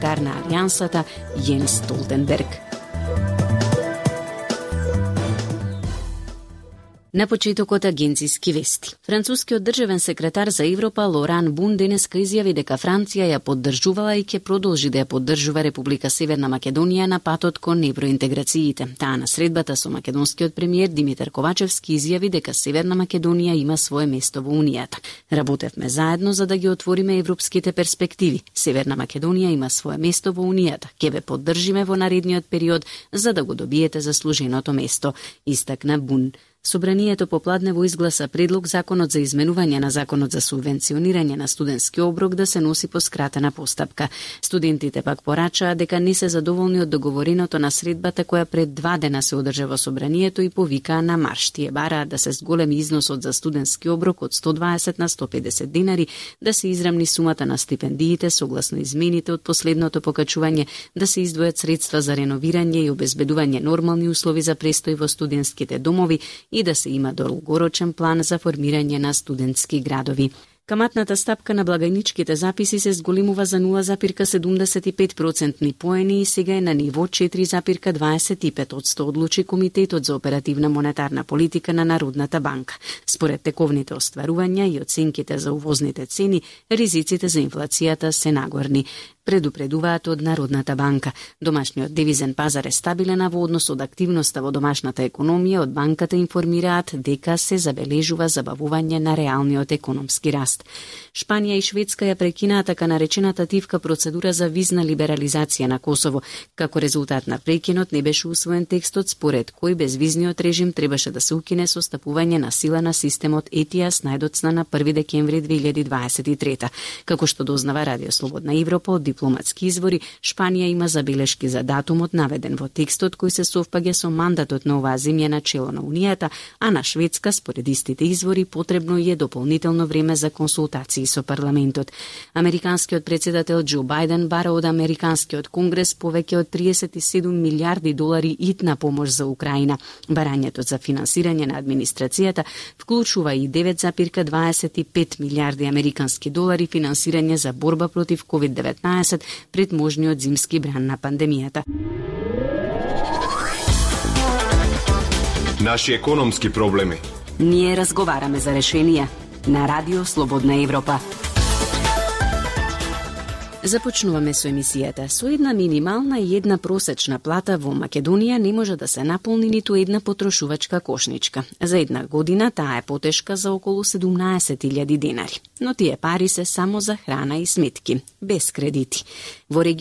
секретар на Алијансата Јенс Столтенберг. На почетокот агенциски вести. Францускиот државен секретар за Европа Лоран Бун денеска изјави дека Франција ја поддржувала и ќе продолжи да ја поддржува Република Северна Македонија на патот кон евроинтеграциите. Таа на средбата со македонскиот премиер Димитар Ковачевски изјави дека Северна Македонија има свое место во Унијата. Работевме заедно за да ги отвориме европските перспективи. Северна Македонија има свое место во Унијата. Ќе ве поддржиме во наредниот период за да го добиете заслуженото место, истакна Бун. Собранието попладнево изгласа предлог законот за изменување на законот за субвенционирање на студентски оброк да се носи по скратена постапка. Студентите пак порачаа дека не се задоволни од договореното на средбата која пред 2 дена се одржа во собранието и повикаа на марш. Тие бараат да се зголеми износот за студентски оброк од 120 на 150 динари, да се израмни сумата на стипендиите согласно измените од последното покачување, да се издвојат средства за реновирање и обезбедување нормални услови за престој во студентските домови и да се има долгорочен план за формирање на студентски градови. Каматната стапка на благајничките записи се зголемува за 0,75% поени и сега е на ниво 4,25%, одлучи Комитетот за оперативна монетарна политика на Народната банка. Според тековните остварувања и оценките за увозните цени, ризиците за инфлацијата се нагорни. Предупредуваат од Народната банка. Домашниот девизен пазар е стабилен, а во однос од активноста во домашната економија од банката информираат дека се забележува забавување на реалниот економски раст. Шпанија и Шведска ја прекинаа така наречената тивка процедура за визна либерализација на Косово. Како резултат на прекинот не беше усвоен текстот според кој безвизниот режим требаше да се укине со стапување на сила на системот ETIAS најдоцна на 1 декември 2023. Како што дознава Радио Слободна Европа од дипломатски извори, Шпанија има забелешки за датумот наведен во текстот кој се совпаѓа со мандатот на оваа земја на чело на Унијата, а на Шведска, според истите извори, потребно е дополнително време за консултации со парламентот. Американскиот председател Џо Бајден бара од Американскиот конгрес повеќе од 37 милиарди долари итна помош за Украина. Барањето за финансирање на администрацијата вклучува и 9,25 милиарди американски долари финансирање за борба против COVID-19 пред можниот зимски бран на пандемијата. Наши економски проблеми. Ние разговараме за решенија на Радио Слободна Европа. Започнуваме со емисијата. Со една минимална и една просечна плата во Македонија не може да се наполни ниту една потрошувачка кошничка. За една година таа е потешка за околу 17.000 денари. Но тие пари се само за храна и сметки, без кредити. Во